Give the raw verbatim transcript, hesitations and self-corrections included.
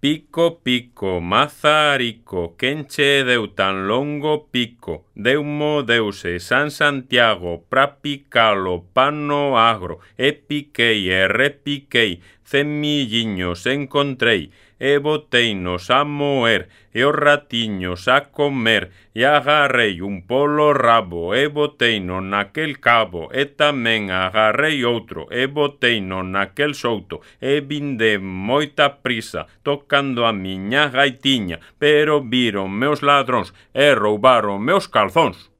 Pico, pico, mazarico, quenche deu tan longo pico, deumo deuse San Santiago, prapicalo, pano agro, e piquei e repiquei, cemilliños encontrei, e boteinos a moer, e os ratiños a comer, e agarrei un polo rabo, e boteino naquel cabo, e tamén agarrei outro, e boteino naquel souto, e vinde moita prisa, tocando a miña gaitiña, pero viron meus ladróns, e roubaron meus calzóns.